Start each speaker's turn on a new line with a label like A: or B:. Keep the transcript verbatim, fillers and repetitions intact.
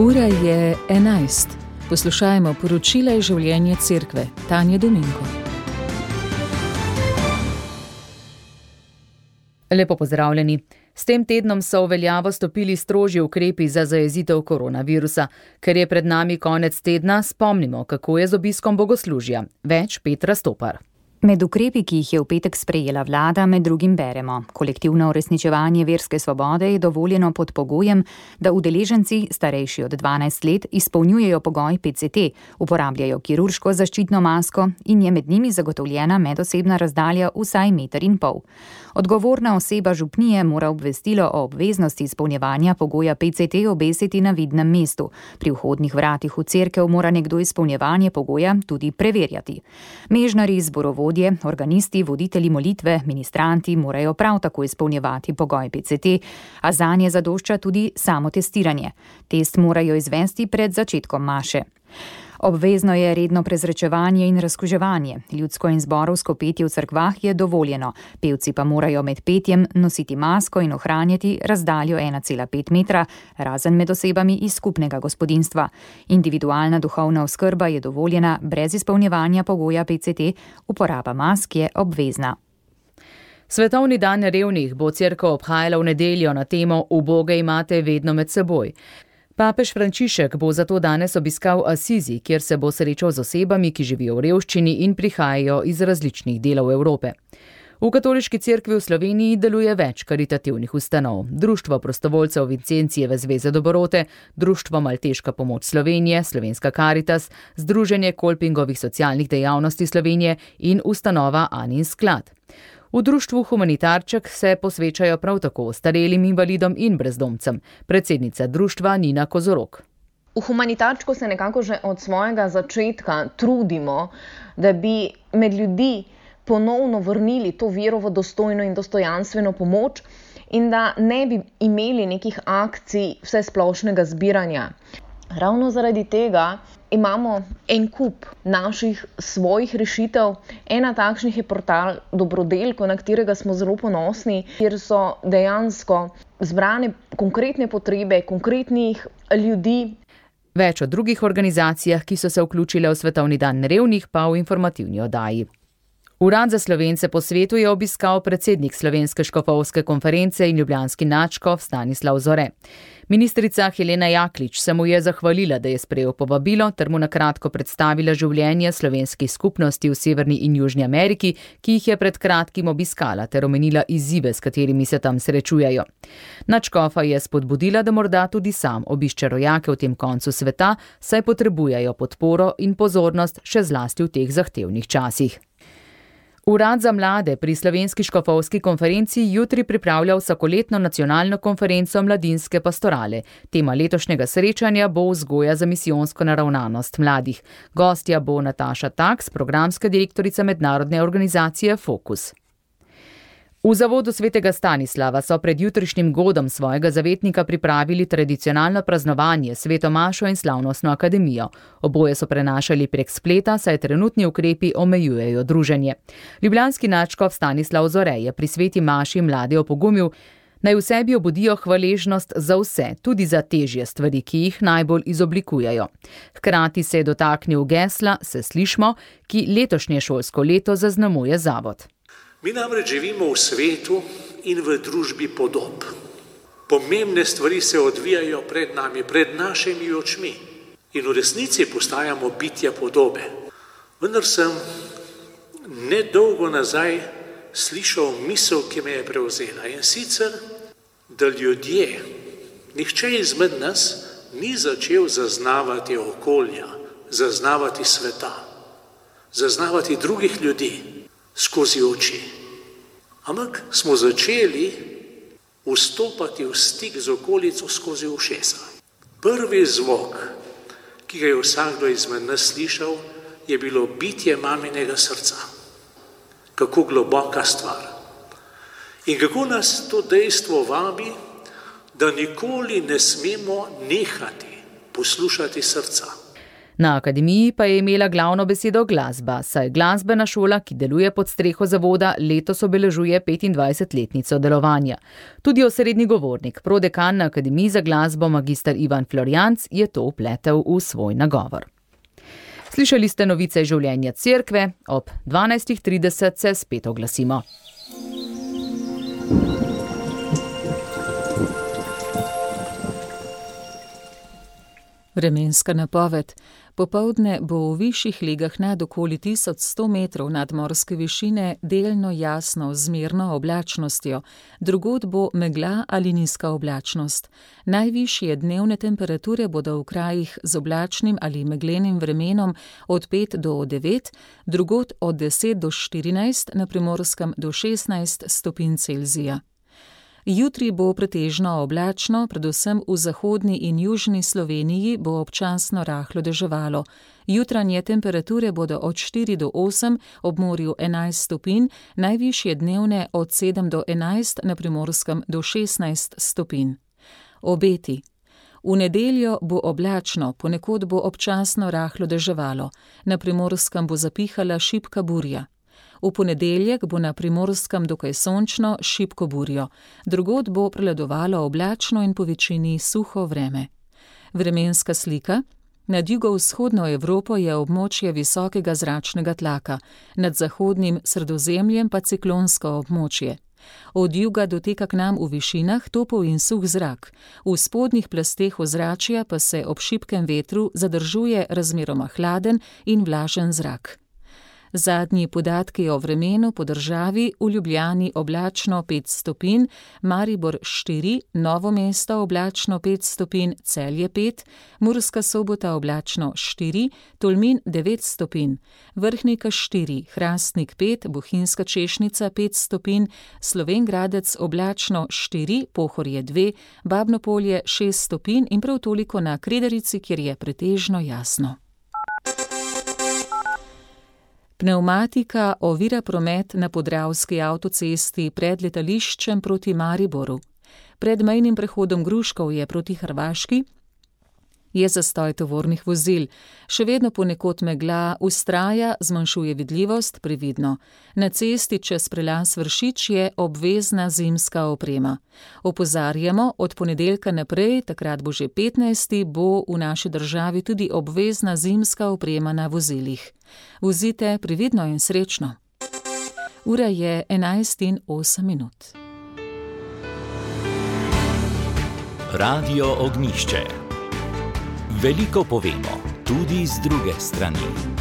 A: Ura je enajst. Poslušajmo poročila iz življenja cerkve. Tanja Dominko. Lepo pozdravljeni. S tem tednom so v veljavo stopili strožji ukrepi za zajezitev koronavirusa. Ker je pred nami konec tedna, spomnimo, kako je z obiskom bogoslužja. Več Petra Stopar.
B: Med ukrepi, ki jih je v petek sprejela vlada, med drugim beremo: kolektivno uresničevanje verske svobode je dovoljeno pod pogojem, da udeleženci, starejši od dvanajst let, izpolnjujejo pogoj P C T, uporabljajo kirurško zaščitno masko in je med njimi zagotovljena medosebna razdalja vsaj meter in pol. Odgovorna oseba župnije mora obvestilo o obveznosti izpolnjevanja pogoja P C T obesiti na vidnem mestu. Pri vhodnih vratih v cerkev mora nekdo izpolnjevanje pogoja tudi preverjati. Mežnarji, zborovodje, organisti, voditelji molitve, ministranti morajo prav tako izpolnjevati pogoj P C T, a zanje zadošča tudi samotestiranje. Test morajo izvesti pred začetkom maše. Obvezno je redno prezračevanje in razkuževanje. Ljudsko in zborovsko petje v cerkvah je dovoljeno. Pevci pa morajo med petjem nositi masko in ohranjati razdaljo ena cela pet metra, razen med osebami iz skupnega gospodinjstva. Individualna duhovna oskrba je dovoljena brez izpolnjevanja pogoja P C T, uporaba mask je obvezna.
A: Svetovni dan revnih bo cerkev obhajala v nedeljo na temo Uboge imate vedno med seboj. Papež Frančišek bo zato danes obiskal Asizi, kjer se bo srečal z osebami, ki živijo v revščini in prihajajo iz različnih delov Evrope. V Katoliški cerkvi v Sloveniji deluje več karitativnih ustanov. Društvo prostovoljcev Vincencijeve zveze Dobrote, Društvo Malteška pomoč Slovenije, Slovenska Karitas, Združenje Kolpingovih socialnih dejavnosti Slovenije in ustanova Anin sklad. V društvu Humanitarček se posvečajo prav tako ostarelim invalidom in brezdomcem. Predsednica društva Nina Kozorok.
C: V Humanitarčku se nekako že od svojega začetka trudimo, da bi med ljudi ponovno vrnili to vero v dostojno in dostojanstveno pomoč in da ne bi imeli nekih akcij vsesplošnega zbiranja. Ravno zaradi tega imamo en kup naših svojih rešitev. Ena takšnih je portal Dobrodelko, na katerega smo zelo ponosni, kjer so dejansko zbrane konkretne potrebe konkretnih ljudi.
A: Več o drugih organizacijah, ki so se vključile v Svetovni dan revnih, pa v informativni oddaji. Urad za Slovence po svetu je obiskal predsednik Slovenske škofovske konference in ljubljanski nadškof Stanislav Zore. Ministrica Helena Jaklič se mu je zahvalila, da je sprejel povabilo ter mu na kratko predstavila življenje slovenskih skupnosti v Severni in Južni Ameriki, ki jih je pred kratkim obiskala, ter omenila izzive, s katerimi se tam srečujejo. Nadškofa je spodbudila, da morda tudi sam obišče rojake v tem koncu sveta, saj potrebujejo podporo in pozornost še zlasti v teh zahtevnih časih. Urad za mlade pri Slovenski škofovski konferenci jutri pripravlja vsakoletno nacionalno konferenco Mladinske pastorale. Tema letošnjega srečanja bo vzgoja za misijonsko naravnanost mladih. Gostja bo Nataša Taks, programska direktorica mednarodne organizacije Fokus. V zavodu svetega Stanislava so pred jutrišnjim godom svojega zavetnika pripravili tradicionalno praznovanje, sveto mašo in slavnostno akademijo. Oboje so prenašali prek spleta, saj trenutni ukrepi omejujejo druženje. Ljubljanski nadškof Stanislav Zore je pri sveti maši mlade opogumil, naj v sebi obudijo hvaležnost za vse, tudi za težje stvari, ki jih najbolj izoblikujejo. Hkrati se je dotaknil gesla Se slišmo, ki letošnje šolsko leto zaznamuje zavod.
D: Mi namreč živimo v svetu in v družbi podob. Pomembne stvari se odvijajo pred nami, pred našimi očmi. In v resnici postajamo bitja podobe. Vendar sem nedolgo nazaj slišal misel, ki me je prevzela. In sicer, da ljudje, nihče izmed nas ni začel zaznavati okolja, zaznavati sveta, zaznavati drugih ljudi skozi oči. Ampak smo začeli vstopati v stik z okolico skozi ušesa. Prvi zvok, ki ga je vsakdo izmed nas slišal, je bilo bitje maminega srca. Kako globoka stvar. In kako nas to dejstvo vabi, da nikoli ne smemo nehati poslušati srca.
A: Na akademiji pa je imela glavno besedo glasba, saj glasbena šola, ki deluje pod streho zavoda, letos obeležuje petindvajsetletnico delovanja. Tudi osrednji govornik, prodekan na Akademiji za glasbo magister Ivan Florjanc, je to vpletel v svoj nagovor. Slišali ste novice življenja cerkve, ob dvanajstih trideset se spet oglasimo.
E: Vremenska napoved. Popoldne bo v višjih legah nad okoli tisoč sto metrov nadmorske višine delno jasno z zmerno oblačnostjo, drugod bo megla ali nizka oblačnost. Najvišje dnevne temperature bodo v krajih z oblačnim ali meglenim vremenom od pet do devet, drugod od deset do štirinajst, na Primorskem do šestnajst stopinj Celzija. Jutri bo pretežno oblačno, predvsem v zahodni in južni Sloveniji bo občasno rahlo deževalo. Jutranje temperature bodo od štiri do osem, ob morju enajst stopinj, najvišje dnevne od sedem do enajst, na Primorskem do šestnajst stopinj. Obeti. V nedeljo bo oblačno, ponekod bo občasno rahlo deževalo. Na Primorskem bo zapihala šibka burja. V ponedeljek bo na Primorskem dokaj sončno, šibko burjo. Drugod bo prevladovalo oblačno in po večini suho vreme. Vremenska slika. Nad jugovzhodno Evropo je območje visokega zračnega tlaka, nad zahodnim Sredozemljem pa ciklonsko območje. Od juga doteka k nam v višinah topel in suh zrak. V spodnjih plasteh ozračja pa se ob šibkem vetru zadržuje razmeroma hladen in vlažen zrak. Zadnji podatki o vremenu po državi: v Ljubljani oblačno pet stopinj, Maribor štiri, Novo mesto oblačno pet stopinj, Celje pet, Murska Sobota oblačno štiri, Tolmin devet stopinj, Vrhnika štiri, Hrastnik pet, Bohinjska Češnica pet stopinj, Slovenj Gradec oblačno štiri, Pohorje dve, Babno Polje šest stopinj in prav toliko na Kredarici, kjer je pretežno jasno. Pnevmatika ovira promet na Podravski avtocesti pred letališčem proti Mariboru. Pred mejnim prehodom Gruškovje proti Hrvaški je zastoj tovornih vozil. Še vedno ponekod megla vztraja, zmanjšuje vidljivost, previdno. Na cesti čez prelaz Vršič je obvezna zimska oprema. Opozarjamo, od ponedeljka naprej, takrat bo že petnajsti, bo v naši državi tudi obvezna zimska oprema na vozilih. Vozite previdno in srečno. Ura je enajst in osem minut.
F: Radio Ognjišče. Veliko povemo, tudi z druge strani.